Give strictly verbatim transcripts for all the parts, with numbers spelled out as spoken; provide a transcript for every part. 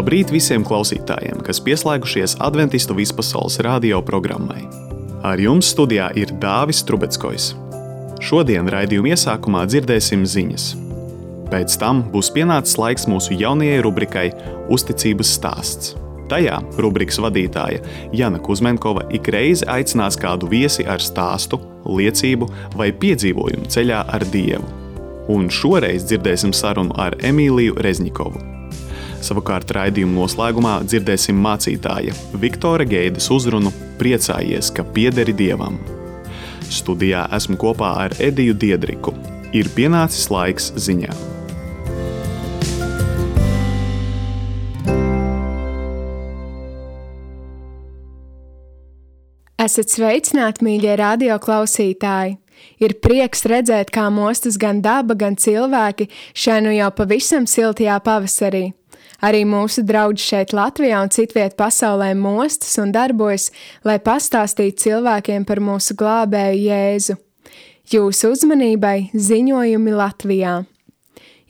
Labrīt visiem klausītājiem, kas pieslēgušies Adventistu vispasaules radio programmai. Ar jums studijā ir Dāvis Trubeckojs. Šodien raidījuma iesākumā dzirdēsim ziņas. Pēc tam būs pienācis laiks mūsu jaunajai rubrikai Uzticības stāsts. Tajā rubrikas vadītāja Jana Kuzmenkova ik reizi aicinās kādu viesi ar stāstu, liecību vai piedzīvojumu ceļā ar Dievu. Un šoreiz dzirdēsim sarunu ar Emīliju Rezņikovu. Savukārt raidījuma noslēgumā dzirdēsim mācītāja Viktora Geides uzrunu Priecājies, ka piederi Dievam. Studijā esmu kopā ar Ediju Diedriku. Ir pienācis laiks ziņām. Esat sveicināti, mīļie radio klausītāji! Ir prieks redzēt, kā mostas gan daba, gan cilvēki šai nu jau pavisam siltajā pavasarī. Arī mūsu draugi šeit Latvijā un citviet pasaulē mostas un darbojas, lai pastāstītu cilvēkiem par mūsu glābēju Jēzu. Jūsu uzmanībai ziņojumi Latvijā.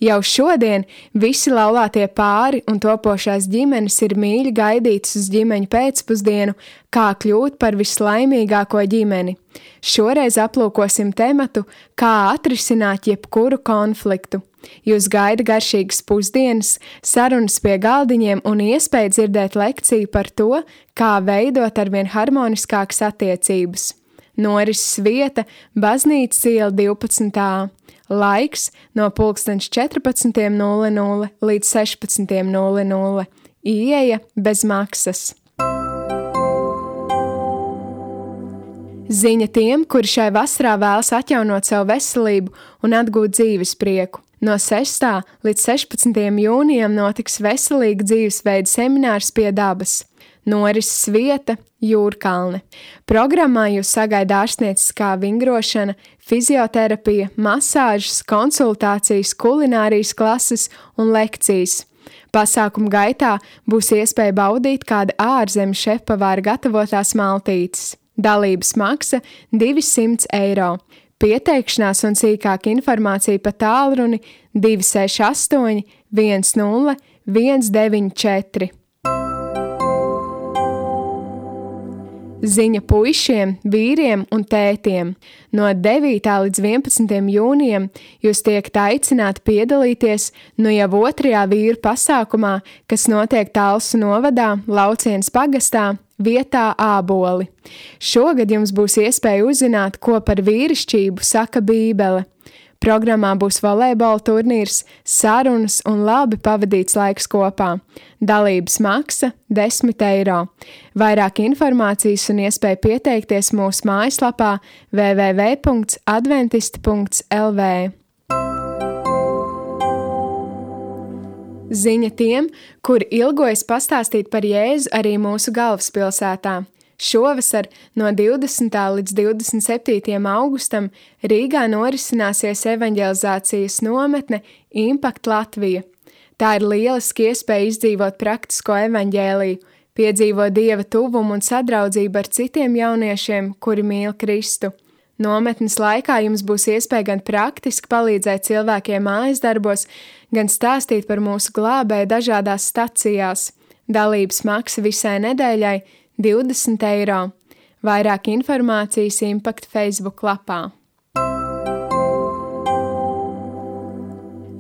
Jau šodien visi laulātie pāri un topošās ģimenes ir mīļi gaidītas uz ģimeņu pēcpusdienu, kā kļūt par vislaimīgāko ģimeni. Šoreiz aplūkosim tematu, kā atrisināt jebkuru konfliktu. Jūs gaida garšīgas pusdienas, sarunas pie galdiņiem un iespēja dzirdēt lekciju par to, kā veidot arvien harmoniskākas attiecības. Norises vieta – Baznīcas iela divpadsmit A. Laiks no pulkstens četrpadsmit nulle nulle līdz sešpadsmit nulle nulle. Ieeja bez maksas. Ziņa tiem, kuri šai vasarā vēlas atjaunot savu veselību un atgūt dzīves prieku. No sestā līdz sešpadsmitajam jūnijam notiks veselīga dzīvesveida seminārs pie dabas. Norises vieta – Jūrkalne. Programmā jūs sagaida ārstnieciskā vingrošana, fizioterapija, masāžas, konsultācijas, kulinārijas klases un lekcijas. Pasākuma gaitā būs iespēja baudīt kāda ārzemju šefpavāra gatavotās maltītes. Dalības maksa divsimt eiro. Pieteikšanās un sīkāka informācija pa tālruni divi seši astoņi viens nulle viens deviņi četri. Ziņa puišiem, vīriem un tētiem. No devītā līdz vienpadsmitajam jūnijam jūs tiekat aicināti piedalīties nu jau otrajā vīru pasākumā, kas notiek Talsu novadā, Laucienas pagastā, vietā Āboli. Šogad jums būs iespēja uzzināt, ko par vīrišķību saka Bībele. Programmā būs volejbola turnīrs, sarunas un labi pavadīts laiks kopā. Dalības maksa desmit eiro. Vairāk informācijas un iespēja pieteikties mūsu mājaslapā w w w punkts adventisti punkts l v. Ziņa tiem, kuri ilgojas pastāstīt par Jēzu arī mūsu galvaspilsētā. Šovasar no divdesmitā līdz divdesmit septītajam augustam Rīgā norisināsies evaņģelizācijas nometne Impact Latvija. Tā ir lieliski iespēja izdzīvot praktisko evaņģēliju, piedzīvot Dieva tuvumu un sadraudzību ar citiem jauniešiem, kuri mīl Kristu. Nometnes laikā jums būs iespēja gan praktiski palīdzēt cilvēkiem mājas darbos, gan stāstīt par mūsu glābēju dažādās stacijās. Dalības maksa visai nedēļai divdesmit eiro. Vairāk informācijas Impact Facebook lapā.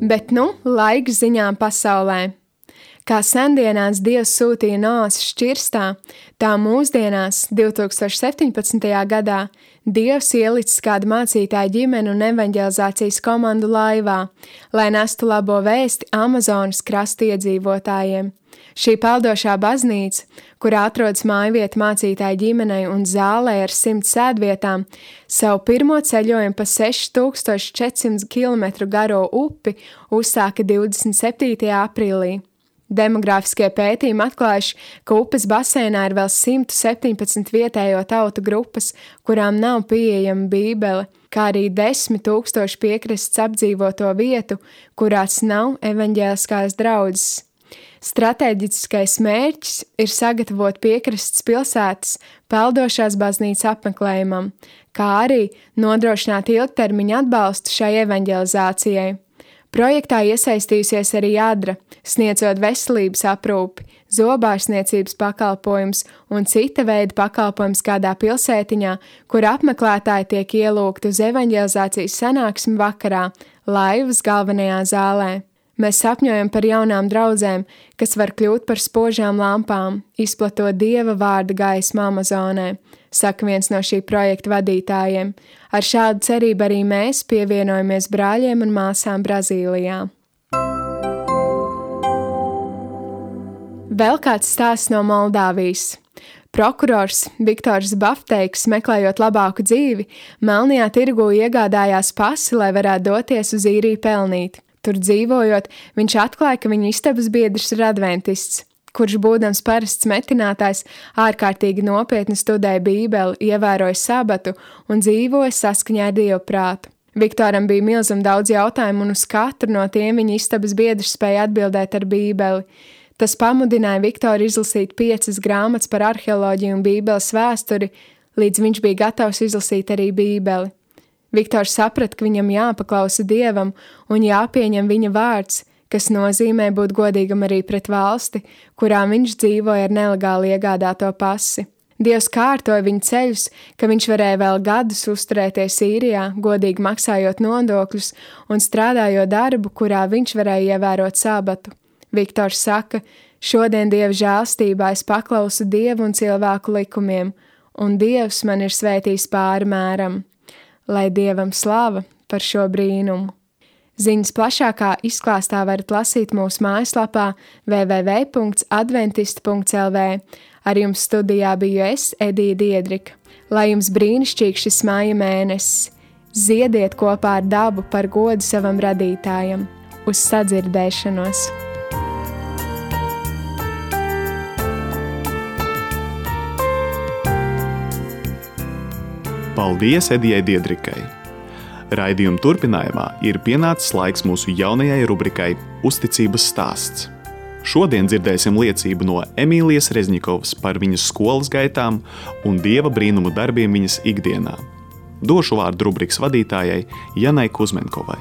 Bet nu, laiks ziņām pasaulē. Kā sendienās Dievs sūtīja Noas šķirstā, tā mūsdienās, divtūkstoš septiņpadsmitajā gadā, Dievs ielicis kādu mācītāju ģimeni un evaņģelizācijas komandu laivā, lai nestu labo vēsti Amazonas krasta iedzīvotājiem. Šī peldošā baznīca, kurā atrodas mājvieta mācītāju ģimenei un zālē ar simt sēdvietām, savu pirmo ceļojumu pa seši tūkstoši četri simti kilometru garo upi uzsāka divdesmit septītajā aprīlī. Demogrāfiskie pētījumi atklājuši, ka upes basēnā ir vēl simt septiņpadsmit vietējo tautu grupas, kurām nav pieejama Bībele, kā arī desmit tūkstoši piekrastes apdzīvoto vietu, kurās nav evaņģēliskās draudzes. Stratēģiskais mērķis ir sagatavot piekrastes pilsētas peldošās baznīcas apmeklējumam, kā arī nodrošināt ilgtermiņa atbalstu šai evaņģelizācijai. Projektā iesaistījusies arī Adra, sniedzot veselības aprūpi, zobārstniecības pakalpojums un cita veida pakalpojums kādā pilsētiņā, kur apmeklētāji tiek ielūgti uz evaņģelizācijas sanāksmi vakarā, Laivas galvenajā zālē. Mēs sapņojam par jaunām draudzēm, kas var kļūt par spožām lampām, izplatot Dieva vārda gaismu Amazonē, saka viens no šī projekta vadītājiem. Ar šādu cerību arī mēs pievienojamies brāļiem un māsām Brazīlijā. Vēl kāds stāsts no Moldāvijas. Prokurors Viktors Bafteiks, meklējot labāku dzīvi, Melnajā tirgū iegādājās pasi, lai varētu doties uz īriju pelnīt. Tur dzīvojot, viņš atklāja, ka viņa istabas biedrs ir adventists, kurš būdams parasts metinātājs ārkārtīgi nopietni studēja Bībeli, ievēroja sabatu un dzīvoja saskaņā ar Dievu prātu. Viktoram bija milzum daudz jautājumu, un uz katru no tiem viņa istabas biedrs spēja atbildēt ar Bībeli. Tas pamudināja Viktoru izlasīt piecas grāmatas par arheoloģiju un Bībeles vēsturi, līdz viņš bija gatavs izlasīt arī Bībeli. Viktors saprata, ka viņam jāpaklausa Dievam un jāpieņem viņa vārds, kas nozīmē būt godīgam arī pret valsti, kurā viņš dzīvoja ar nelegāli iegādāto pasi. Dievs kārtoja viņa ceļus, ka viņš varēja vēl gadus uzturēties Īrijā, godīgi maksājot nodokļus un strādājot darbu, kurā viņš varēja ievērot sabatu. Viktors saka, šodien Dieva žēlstībā es paklausu Dievu un cilvēku likumiem, un Dievs man ir svētījis pāri mēram. Lai Dievam slava par šo brīnumu. Ziņas plašākā izklāstā varat lasīt mūsu mājaslapā w w w punkts adventist punkts l v. Ar jums studijā biju es, Edija Diedrika. Lai jums brīnišķīgs šis māja mēnesis. Ziediet kopā ar dabu par godu savam radītājam. Uz sadzirdēšanos! Paldies Edijai Diedrikai! Raidījuma turpinājumā ir pienācis laiks mūsu jaunajai rubrikai Uzticības stāsts. Šodien dzirdēsim liecību no Emīlijas Rezņikovas par viņas skolas gaitām un Dieva brīnumu darbiem viņas ikdienā. Došu vārdu rubrikas vadītājai Janai Kuzmenkovai.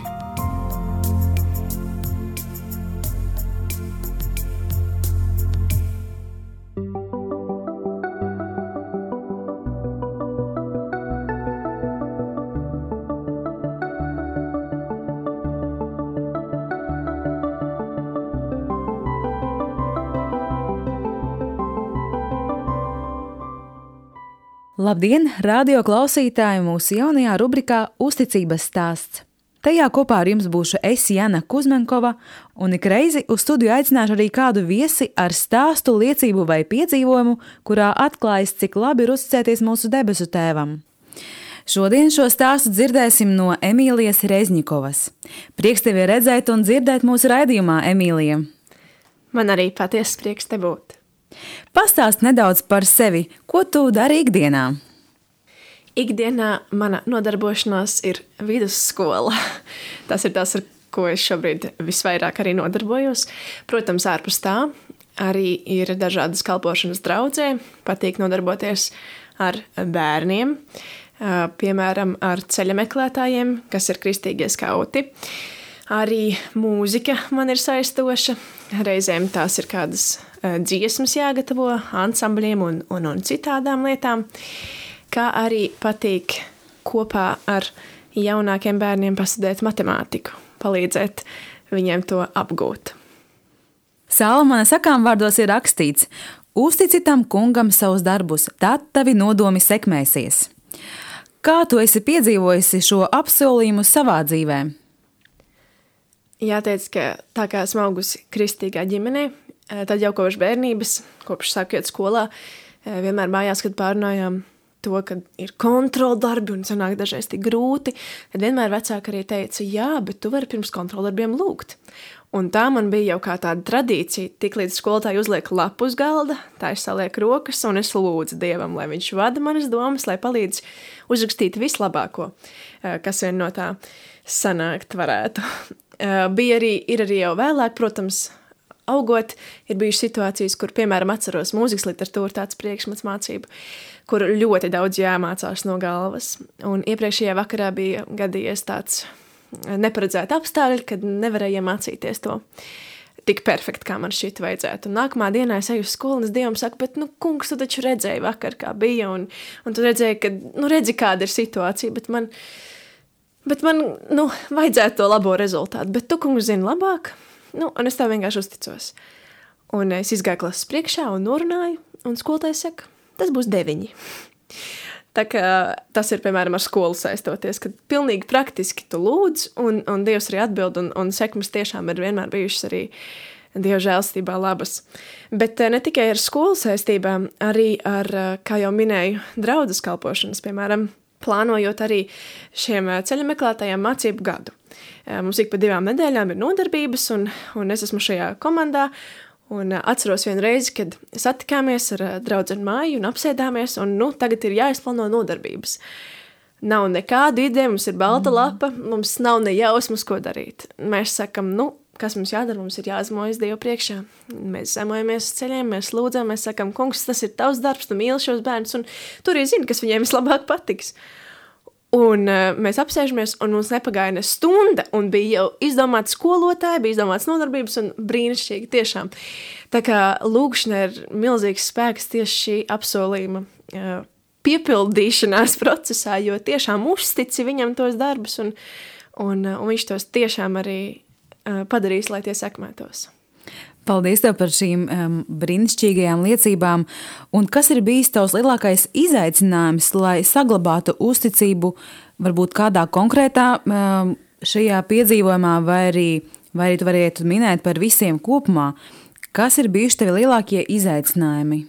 Labdien, radio klausītāji mūsu jaunajā rubrikā Uzticības stāsts. Tajā kopā ar jums būšu es, Jana Kuzmenkova, un ik reizi uz studiju aicināšu arī kādu viesi ar stāstu, liecību vai piedzīvojumu, kurā atklājas, cik labi ir uzticēties mūsu debesu tēvam. Šodien šo stāstu dzirdēsim no Emīlijas Rezņikovas. Prieks tevi redzēt un dzirdēt mūsu raidījumā, Emīlija. Man arī patiesi prieks te būt. Pastāst nedaudz par sevi, ko tu dari ikdienā? Ikdienā mana nodarbošanās ir vidusskola. Tas ir tas, ar ko es šobrīd visvairāk arī nodarbojos. Protams, ārpus tā arī ir dažādas kalpošanas draudzē. Patīk nodarboties ar bērniem, piemēram, ar ceļa meklētājiem, kas ir kristīgie skauti. Arī mūzika man ir saistoša. Reizēm tās ir kādas dziesmas jāgatavo ansambļiem un, un, un citādām lietām, kā arī patīk kopā ar jaunākiem bērniem pastudēt matemātiku, palīdzēt viņiem to apgūt. Salmona sakām vārdos ir rakstīts: uztici tam kungam savus darbus, tad tavi nodomi sekmēsies. Kā tu esi piedzīvojusi šo apsolījumu savā dzīvē? Jāteic, ka tā kā esmu augusi kristīgā ģimenē, tad jau kopš bērnības, kopš sākot skolā, vienmēr mājās, kad pārunājām to, ka ir kontroldarbi un sanāk dažreiz tik grūti, tad vienmēr vecāki arī teica, jā, bet tu vari pirms kontroldarbiem lūgt. Un tā man bija jau kā tāda tradīcija, tik līdz skolotāji uzliek lapu uz galda, tā es saliek rokas un es lūdzu Dievam, lai viņš vada manas domas, lai palīdz uzrakstīt vislabāko, kas vien no tā sanākt varētu. Bija arī, ir arī jau vēlāk, protams, augot, ir bijušas situācijas, kur, piemēram, atceros mūzikas literatūru, tāds priekšmets mācību, kur ļoti daudz jāmācās no galvas. Un iepriekšējā vakarā bija gadījies tāds neparedzēti apstākļi, kad nevarēju iemācīties to tik perfekti, kā man šķiet vajadzētu. Un nākamā dienā es eju uz skolu, un es Dievam saku, bet, nu, kungs, tu taču redzēji vakar, kā bija, un, un tu redzēji, ka, nu, redzi, kāda ir situācija, bet man, bet man, nu, vajadzētu to labo rezultātu, bet tu, kungs, zini labāk, nu, un es tev vienkārši uzticos. Un es izgāju klases priekšā un norunāju, un skolotājs saka, tas būs deviņi. Tā kā tas ir, piemēram, ar skolu saistoties, kad pilnīgi praktiski tu lūdz, un, un Dievs arī atbild, un, un sekmes tiešām ir vienmēr bijušas arī Dieva žēlstībā labas. Bet ne tikai ar skolu saistībām, arī ar, kā jau minēju, draudzes kalpošanas, piemēram, plānojot arī šiem ceļa meklētājiem mācību gadu. Mums ik pa divām nedēļām ir nodarbības, un, un es esmu šajā komandā, un atceros vienu reizi, kad satikāmies ar draudzeni Māju un apsēdāmies, un nu, tagad ir jāizplāno nodarbības. Nav nekādu ideju, mums ir balta lapa, mums nav ne jausmas, ko darīt. Mēs sakam, nu, kas mums jādara, mums ir jāzmojas Dievu priekšā. Mēs zemojamies ceļiem, mēs lūdzam, mēs sakam, kungs, tas ir tavs darbs, tu mīli šos bērnus, un tur ir zini, kas viņiem vislabāk patiks. Un uh, mēs apsēžamies, un mums nepagāja ne stunda, un bija jau izdomāts skolotāji, bija izdomāts nodarbības, un brīnišķīgi tiešām. Tā kā lūgšana ir milzīgs spēks tieši šī apsolījuma uh, piepildīšanās procesā, jo tiešām uztici viņam tos darbus, un, un, uh, un viņš tos tiešām arī uh, padarīs, lai tie sekmētos. Paldies tev par šīm um, brīnišķīgajām liecībām. Un kas ir bijis tavs lielākais izaicinājums, lai saglabātu uzticību varbūt kādā konkrētā um, šajā piedzīvojumā, vai arī, vai arī tu varētu minēt par visiem kopumā? Kas ir bijuši tevi lielākie izaicinājumi?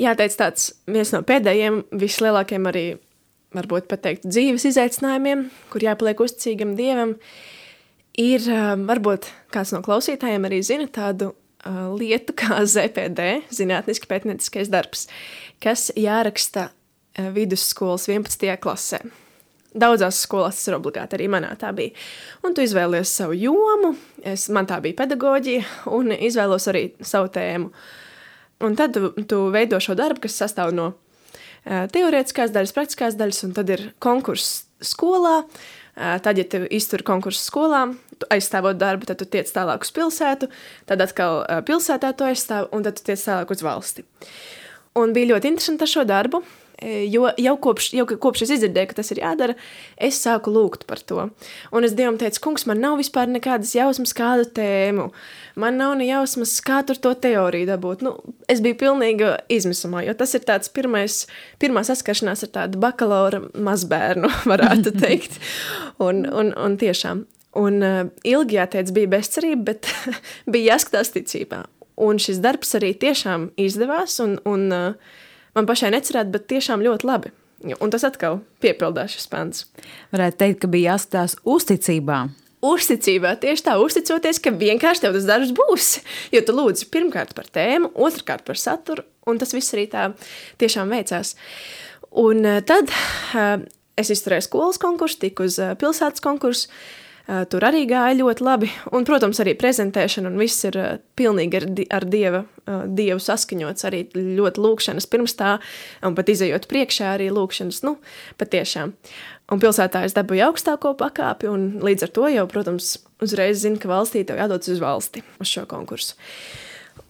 Jāteic tāds viens no pēdējiem, vislielākiem arī, varbūt pateikt, dzīves izaicinājumiem, kur jāpaliek uzticīgam Dievam, ir, varbūt kāds no klausītājiem arī zina tādu uh, lietu kā Z P D, zinātniski pētnieciskais darbs, kas jāraksta uh, vidusskolas vienpadsmitajā klasē. Daudzās skolās tas ir obligāti, arī manā tā bija. Un tu izvēlies savu jomu, es, man tā bija pedagoģija, un izvēlos arī savu tēmu. Un tad tu, tu veido šo darbu, kas sastāv no uh, teorētiskās daļas, praktiskās daļas, un tad ir konkurss skolā. Tad, ja tu izturi konkursu skolā, tu aizstāvot darbu, tad tu tiec tālāk uz pilsētu, tad atkal pilsētā tu aizstāv, un tad tu tiec tālāk uz valsti. Un bija ļoti interesanti ar šo darbu, jo jau kopš, jau kopš es izdzirdēju, ka tas ir jādara, es sāku lūgt par to. Un es Dievam teicu, kungs, man nav vispār nekādas jausmas kādu tēmu, man nav ne jausmas, kā tur to teoriju dabūt. Nu, es biju pilnīgi izmisumā, jo tas ir tāds pirmais, pirmā saskaršanās ar tādu bakalaura mazbērnu, varētu teikt. Un, un, un tiešām. Un uh, ilgi jāteic bija bezcerība, bet bija jāskatās ticībā. Un šis darbs arī tiešām izdevās, un, un uh, man pašai necerēt, bet tiešām ļoti labi. Un tas atkal piepildās šis pants. Varētu teikt, ka bija jāskatās uzticībā. Uzticībā, tieši tā, uzticoties, ka vienkārši tev tas darbs būs. Jo tu lūdzi pirmkārt par tēmu, otrkārt par saturu, un tas viss arī tā tiešām veicās. Un uh, tad uh, es izturēju skolas konkursu, tiku uz uh, pilsētas konkursu. Uh, tur arī gāja ļoti labi, un, protams, arī prezentēšana, un viss ir uh, pilnīgi ar, di- ar dieva, uh, dievu saskaņots, arī ļoti lūkšanas pirms tā, un pat izejot priekšā arī lūkšanas, nu, patiešām. Un pilsētā es dabūju augstāko pakāpi, un līdz ar to jau, protams, uzreiz zinu, ka valstī tev jādodas uz valsti, uz šo konkursu.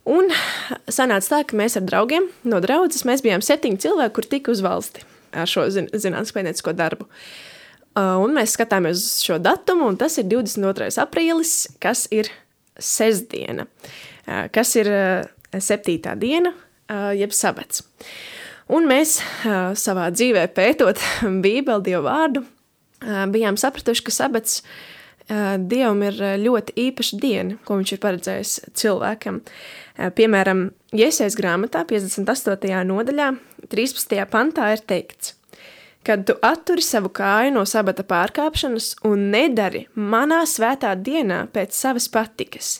Un sanāca tā, ka mēs ar draugiem no draudzes, mēs bijām septiņi cilvēki, kur tika uz valsti ar šo zin- zinātnisko pētniecisko darbu. Un mēs skatāmies uz šo datumu, un tas ir divdesmit otrais aprīlis, kas ir sestdiena, kas ir septītā diena, jeb sabats. Un mēs savā dzīvē pētot Bībeli, Dievu vārdu, bijām sapratuši, ka sabats Dievam ir ļoti īpaša diena, ko viņš ir paredzējis cilvēkam. Piemēram, Jesajas grāmatā, piecdesmit astotajā nodaļā, trīspadsmitajā pantā ir teikts: kad tu atturi savu kāju no sabata pārkāpšanas un nedari manā svētā dienā pēc savas patikas,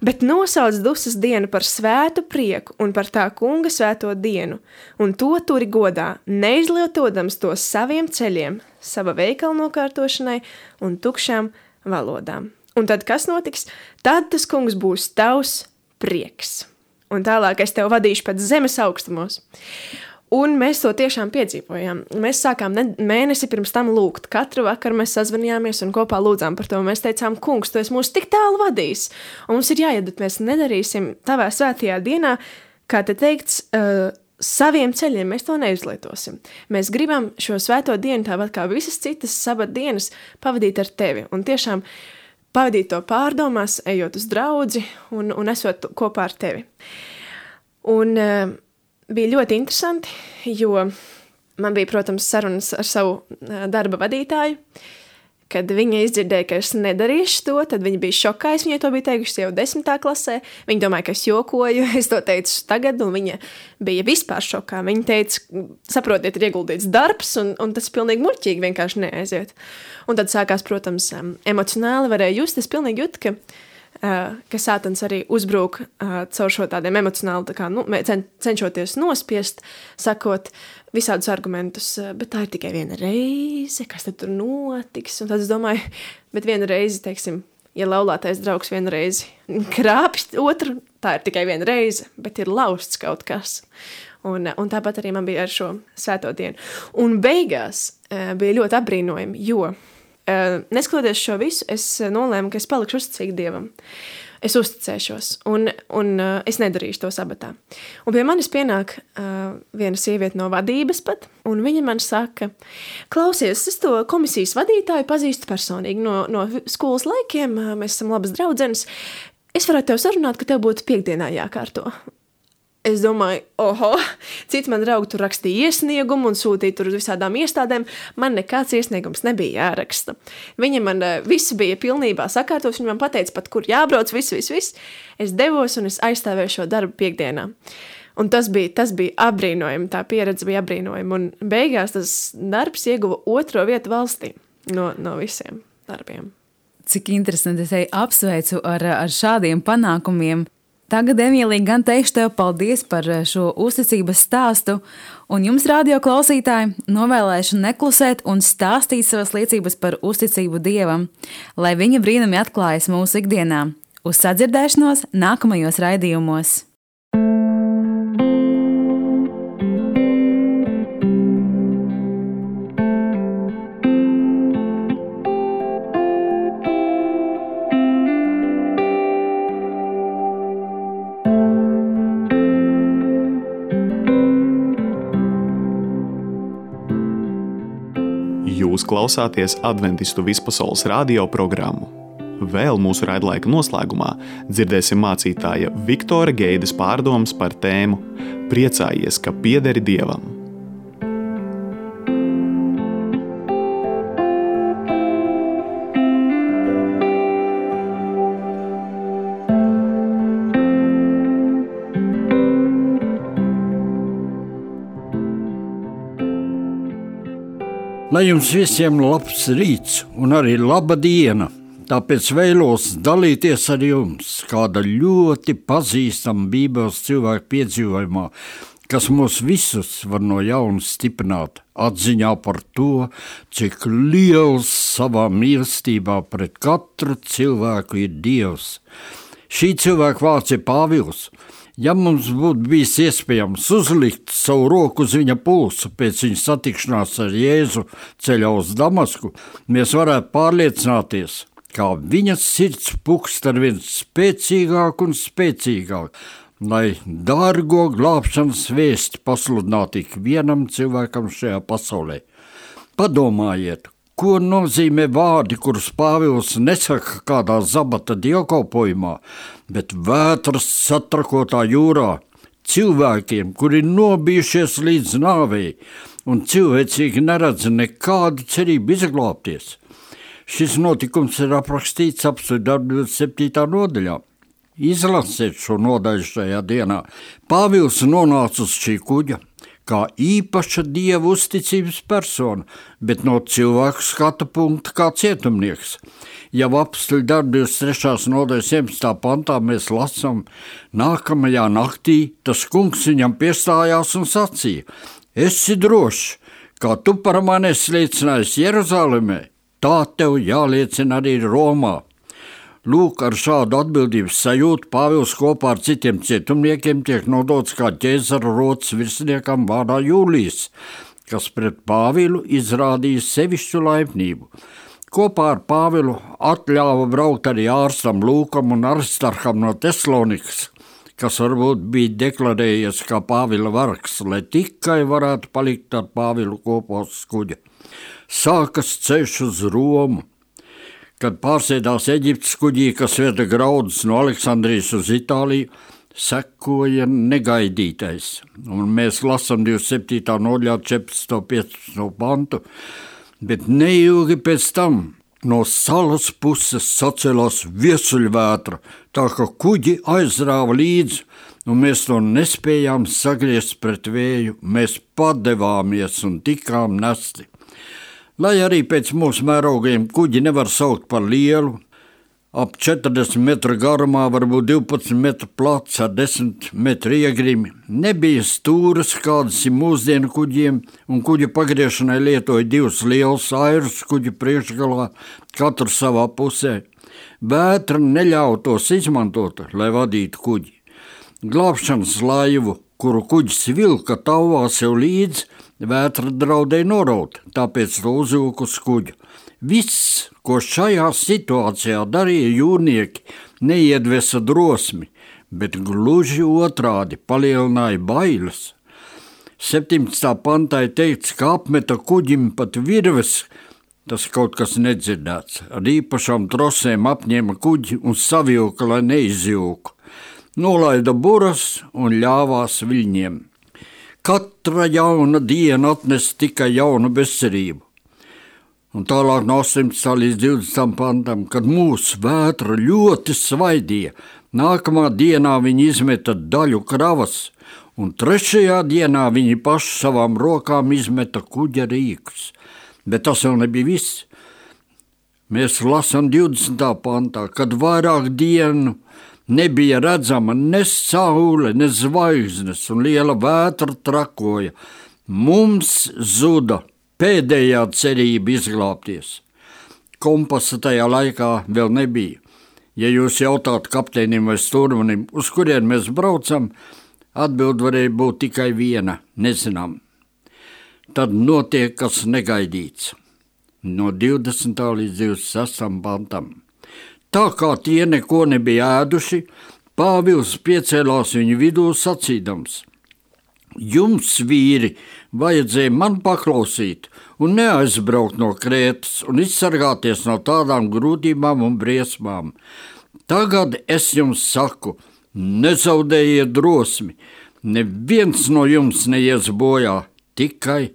bet nosauc dusas dienu par svētu prieku un par tā kunga svēto dienu, un to turi godā, neizlietodams to saviem ceļiem, sava veikala nokārtošanai un tukšām valodām. Un tad kas notiks? Tad tas kungs būs tavs prieks. Un tālāk es tev vadīšu pēc zemes augstumos. Un mēs to tiešām piedzīvojām. Mēs sākām ne, mēnesi pirms tam lūgt. Katru vakaru mēs sazvanījāmies un kopā lūdzām par to. Mēs teicām, kungs, tu esi mūs tik tālu vadījis. Un mums ir jāiet, bet mēs nedarīsim tavā svētajā dienā, kā te teikts, uh, saviem ceļiem. Mēs to neizlietosim. Mēs gribam šo svēto dienu, tāpat kā visas citas sabat dienas, pavadīt ar tevi. Un tiešām pavadīt to pārdomās, ejot uz draudzi un, un esot kopā ar tevi. Un uh, bija ļoti interesanti, jo man bija, protams, sarunas ar savu darba vadītāju. Kad viņa izdzirdēja, ka es nedarīšu to, tad viņa bija šokā. Es viņai to biju teikusi jau desmitā klasē. Viņa domāja, ka es jokoju, es to teicu tagad, un viņa bija vispār šokā. Viņa teica, saprotiet, ir ieguldīts darbs, un, un tas pilnīgi muļķīgi vienkārši neaiziet. Un tad sākās, protams, emocionāli varēja just, es pilnīgi jūtu, ka Uh, ka sātans arī uzbrūk uh, caur šo tādiem emocionāli, tā kā, nu, cen, cenšoties nospiest, sakot visādus argumentus, uh, bet tā ir tikai viena reize, kas tad tur notiks, un tad es domāju, bet viena reize, teiksim, ja laulātais draugs vienu reizi krāpj otru, tā ir tikai viena reize, bet ir lausts kaut kas. Un, un tāpat arī man bija ar šo svēto dienu. Un beigās uh, bija ļoti apbrīnojami, jo Uh, neskatoties šo visu, es nolēmu, ka es palikšu uzticīgi Dievam. Es uzticēšos, un, un uh, es nedarīšu to sabatā. Un pie manis pienāk uh, viena sieviete no vadības pat, un viņa man saka, klausies, es to komisijas vadītāju pazīstu personīgi no, no skolas laikiem, uh, mēs esam labas draudzenes, es varētu tev sarunāt, ka tev būtu piekdienā jākārto. Es domāju, oho, cits man draugi tur rakstīja iesniegumu un sūtīja tur visādām iestādēm. Man nekāds iesniegums nebija jāraksta. Viņa man visu bija pilnībā sakārtos, viņa man pateica pat, kur jābrauc, viss, viss, viss. Es devos un es aizstāvēju šo darbu piekdienā. Un tas bija, tas bija apbrīnojami, tā pieredze bija apbrīnojama. Un beigās tas darbs ieguva otro vietu valstī no, no visiem darbiem. Cik interesanti, es apsveicu ar, ar šādiem panākumiem. Tagad, Emīlija, gan teikšu tev paldies par šo uzticības stāstu, un jums, radio klausītāji, novēlēšu neklusēt un stāstīt savas liecības par uzticību Dievam, lai viņa brīnumi atklājas mūsu ikdienā. Uz sadzirdēšanos nākamajos raidījumos! Jūs klausāties Adventistu vispasaules radio programmu. Vēl mūsu raidlaika noslēgumā dzirdēsim mācītāja Viktora Geides pārdomas par tēmu Priecājies, ka piederi Dievam. Lai jums visiem labs rīts un arī laba diena, tāpēc vēlos dalīties ar jums kāda ļoti pazīstama Bībeles cilvēku piedzīvojumā, kas mūs visus var no jauna stiprināt atziņā par to, cik liels savā mīlestībā pret katru cilvēku ir Dievs. Šī cilvēka vārds ir Pāvils. Ja mums būtu bijis iespējams uzlikt savu roku uz viņa pulsu pēc viņa satikšanās ar Jēzu ceļā uz Damasku, mēs varētu pārliecināties, kā viņa sirds pukst ar vien spēcīgāk un spēcīgāk, lai dārgo glābšanas vēsti pasludinātu ik vienam cilvēkam šajā pasaulē. Padomājiet, ko nozīmē vārdi, kurus Pāvils nesaka kādā zabata dievkalpojumā, bet vētras satrakotā jūrā, cilvēkiem, kuri nobijušies līdz nāvei un cilvēcīgi neredz nekādu cerību izglābties. Šis notikums ir aprakstīts apstuļu darbu divdesmit septītā nodaļā. Izlasiet šo nodaļu šajā dienā. Pāvils nonāca uz šī kuģa kā īpaša Dieva uzticības persona, bet no cilvēku skata punkta kā cietumnieks. Jau apstuļu darbu divdesmit trešās nodaļas vienpadsmitā pantā mēs lasām, nākamajā naktī tas kungs viņam piestājās un sacīja: esi drošs, kā tu par mani esi liecinājis Jeruzalemē, tā tev jāliecina arī Romā. Lūk, ar šādu atbildības sajūtu Pāvils kopā ar citiem cietumniekiem tiek nodots kā ķēzara rotas virsniekam vārdā Jūlijs, kas pret Pāvilu izrādīja sevišķu laipnību. Kopā ar Pāvilu atļāva braukt arī ārstam Lūkam un Aristarham no Tesalonikas, kas varbūt bija deklarējies kā Pāvila vargs, lai tikai varētu palikt ar Pāvilu kopā uz kuģa. Sākas ceļš uz Romu. Kad pārsēdās Eģiptes kuģī, kas veda graudus no Aleksandrijas uz Itāliju, sekoja negaidītais. Un mēs lasām divdesmit septītā nodaļā četrpadsmito piecpadsmito pantu, bet neilgi pēc tam no salas puses sacēlās viesuļvētra, tā ka kuģi aizrāva līdzi, un mēs to nespējām sagriezt pret vēju, mēs padevāmies un tikām nesti. Lai arī pēc mūsu mērogiem kuģi nevar saukt par lielu, ap četrdesmit metru garumā, varbūt divpadsmit metru plats ar desmit metru iegrimi, nebija stūras, kādas ir mūsdienu kuģiem, un kuģa pagriešanai lietoja divus lielus airus kuģa priekšgalā, katru savā pusē. Vētra neļauj tos izmantot, lai vadītu kuģi. Glābšanas laivu, kuru kuģis vilka tauvā sev līdzi, vētra draudēja noraut, tāpēc to uzvilka uz kuģa. Viss, ko šajā situācijā darīja jūrnieki, neiedvesa drosmi, bet gluži otrādi palielināja bailes. septiņpadsmitā pantā ir teikts, ka apmeta kuģim pat virves, tas kaut kas nedzirdēts, ar īpašām trosēm apņēma kuģi un savilka, lai neizjūku. Nolaida buras un ļāvās viļņiem. Katra jauna diena atnes tikai jaunu bezcerību. Un tālāk no astoņpadsmitā līdz divdesmitam pantam, kad mūsu vētra ļoti svaidīja, nākamā dienā viņi izmeta daļu kravas, un trešajā dienā viņi paši savām rokām izmeta kuģa rīkus. Bet tas vēl nebija viss. Mēs lasām divdesmitā pantā, kad vairāk dienu nebija redzama ne saule, ne zvaigznes, un liela vētra trakoja. Mums zuda pēdējā cerība izglābties. Kompasa tajā laikā vēl nebija. Ja jūs jautātu kapteinim vai stūrmanim, uz kurien mēs braucam, atbild varēja būt tikai viena – nezinām. Tad notiek kas negaidīts. No divdesmitā līdz divdesmit sestajam pantam. Tā kā tie neko nebija ēduši, Pāvils piecēlās viņu vidū sacīdams: Jums, vīri, vajadzēja man paklausīt un neaizbraukt no Krētas un izsargāties no tādām grūtībām un briesmām. Tagad es jums saku, nezaudējiet drosmi, neviens no jums neies bojā, tikai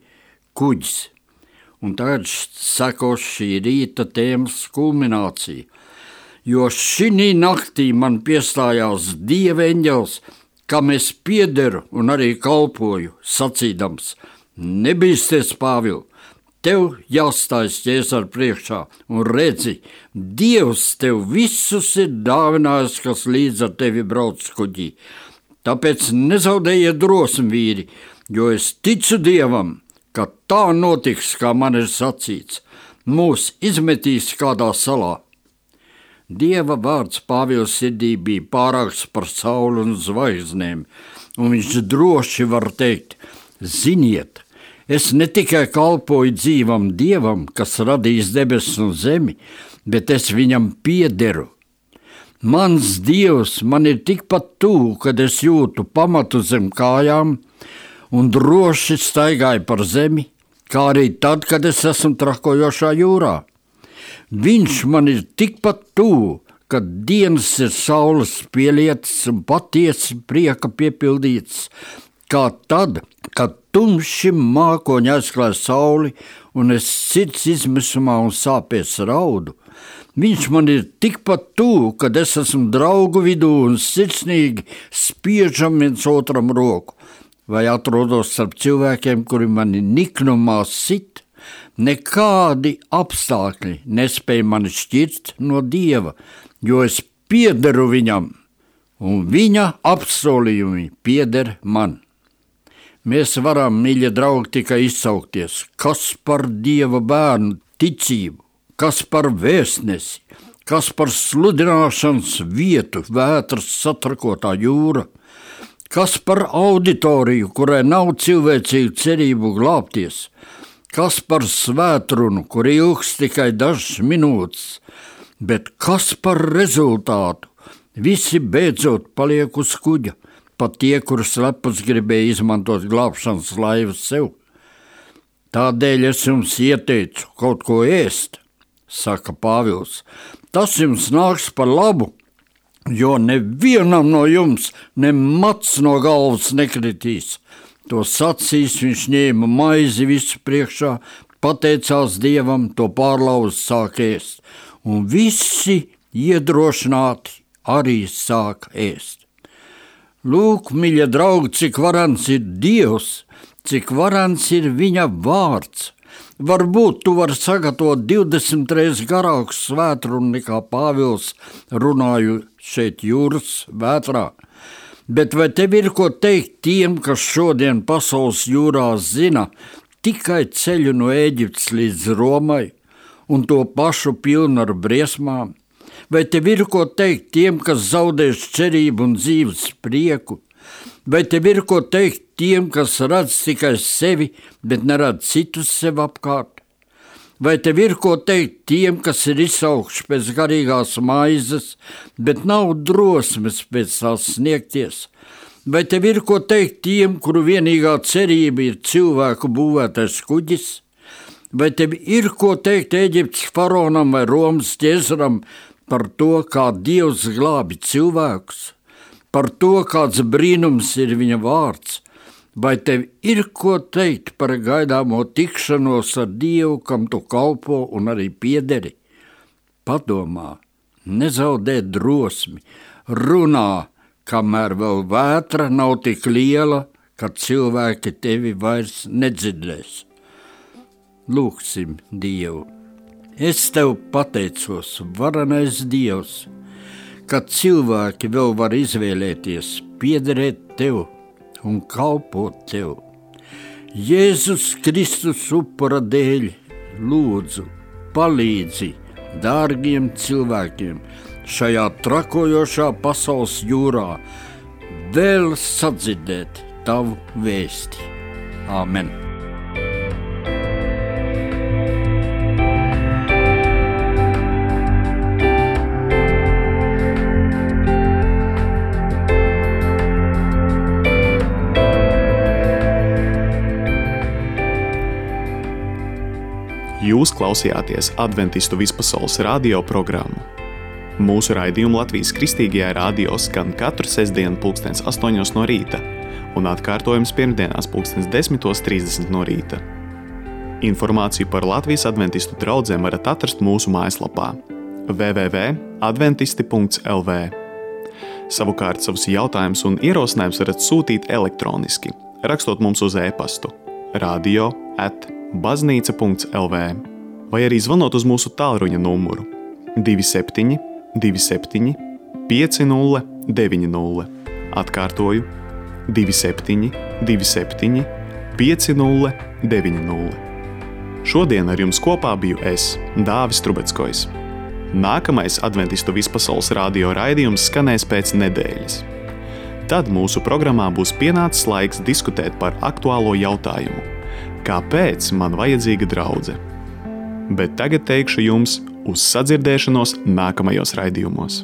kuģis. Un tagad sekos šī rīta tēmas kulminācija. Jo šī naktī man piestājās Dieva eņģelis, kam es piederu un arī kalpoju, sacīdams: Nebīsties, Pāvil, tev jāstājas ķēzara priekšā, un redzi, Dievs tev visus ir dāvinājis, kas līdz ar tevi brauc kuģī. Tāpēc nezaudējiet drosmi, vīri, jo es ticu Dievam, ka tā notiks, kā man ir sacīts. Mūs izmetīs kādā salā. Dieva vārds Pāvila sirdī bija pārāks par sauli un zvaigznēm, un viņš droši var teikt: Ziniet, es ne tikai kalpoju dzīvam Dievam, kas radījis debesis un zemi, bet es viņam piederu. Mans Dievs man ir tikpat tuvu, kad es jūtu pamatu zem kājām un droši staigāju par zemi, kā arī tad, kad es esmu trakojošā jūrā. Viņš man ir tikpat tuvu, kad dienas ir saules pielietas un patiesi prieka piepildīts, kā tad, kad tumši mākoņi aizklāj sauli un es sirds izmisumā un sāpēs raudu. Viņš man ir tikpat tuvu, kad es esmu draugu vidū un sirsnīgi spiežam viens otram roku, vai atrodos starp cilvēkiem, kuri mani niknumā sit. Nekādi apstākļi nespēja mani šķirt no Dieva, jo es piederu viņam, un viņa apsolījumi pieder man. Mēs varam, mīļie draugi, tikai izsaukties, kas par Dieva bērnu ticību, kas par vēstnesi, kas par sludināšanas vietu vētras satrakotā jūra, kas par auditoriju, kurai nav cilvēcīgu cerību glābties, kas par svētrunu, kur ilgs tikai dažas minūtes, bet kas par rezultātu, visi beidzot paliek uz kuģa, pat tie, kurus lepus gribēja izmantot glābšanas laivu sev. Tādēļ es jums ieteicu kaut ko ēst, saka Pāvils. Tas jums nāks par labu, jo nevienam no jums ne mats no galvas nekritīs. To sacīs, viņš ņēma maizi visu priekšā, pateicās Dievam, to pārlauz sāk ēst, un visi iedrošināti arī sāk ēst. Lūk, mīļie draugi, cik varans ir Dievs, cik varans ir viņa vārds. Varbūt tu vari sagatavot divdesmit reizes garāku svētrunu nekā Pāvils runāju šeit jūras vētrā. Bet vai tev ir ko teikt tiem, kas šodien pasaules jūrā zina tikai ceļu no Ēģiptes līdz Romai un to pašu pilnu ar briesmām? Vai tev ir ko teikt tiem, kas zaudēs cerību un dzīves prieku? Vai tev ir ko teikt tiem, kas redz tikai sevi, bet neredz citus sev apkārt? Vai tev ir ko teikt tiem, kas ir izsaukši pēc garīgās maizes, bet nav drosmes pēc tās sniegties? Vai tev ir ko teikt tiem, kuru vienīgā cerība ir cilvēku būvētais kuģis? Vai tev ir ko teikt Ēģiptes faraonam vai Romas ķēzaram par to, kā Dievs glābi cilvēkus? Par to, kāds brīnums ir viņa vārds? Vai tev ir ko teikt par gaidāmo tikšanos ar Dievu, kam tu kalpo un arī piederi? Padomā, nezaudē drosmi, runā, kamēr vēl vētra nav tik liela, ka cilvēki tevi vairs nedzirdēs. Lūksim Dievu. Es tev pateicos, varenais Dievs, ka cilvēki vēl var izvēlēties piederēt tev un kalpot tev. Jēzus Kristus upura dēļ lūdzu palīdzi dārgiem cilvēkiem šajā trakojošā pasaules jūrā vēl sadzirdēt tavu vēsti. Āmen. Jūs klausījāties Adventistu vispasaules radio programmu. Mūsu raidījumu Latvijas Kristīgajā radio skan katru sestdienu pulkstens astoņos no rīta un atkārtojums pirmdienās pulkstens desmitos trīsdesmit no rīta. Informāciju par Latvijas adventistu draudzēm varat atrast mūsu mājaslapā w w w punkts adventisti punkts l v. Savukārt savus jautājumus un ierosinājumus varat sūtīt elektroniski, rakstot mums uz e-pastu radio at baznīca punkts l v vai arī zvanot uz mūsu tālruņa numuru divi septiņi, divi septiņi, pieci nulle, deviņi nulle. Atkārtoju divi septiņi, divi septiņi, pieci nulle, deviņi nulle. Šodien ar jums kopā biju es, Dāvis Trubeckojs. Nākamais Adventistu vispasaules radio raidījums skanēs pēc nedēļas. Tad mūsu programmā būs pienācis laiks diskutēt par aktuālo jautājumu. Kāpēc man vajadzīga draudze? Bet tagad teikšu jums uz sadzirdēšanos nākamajos raidījumos.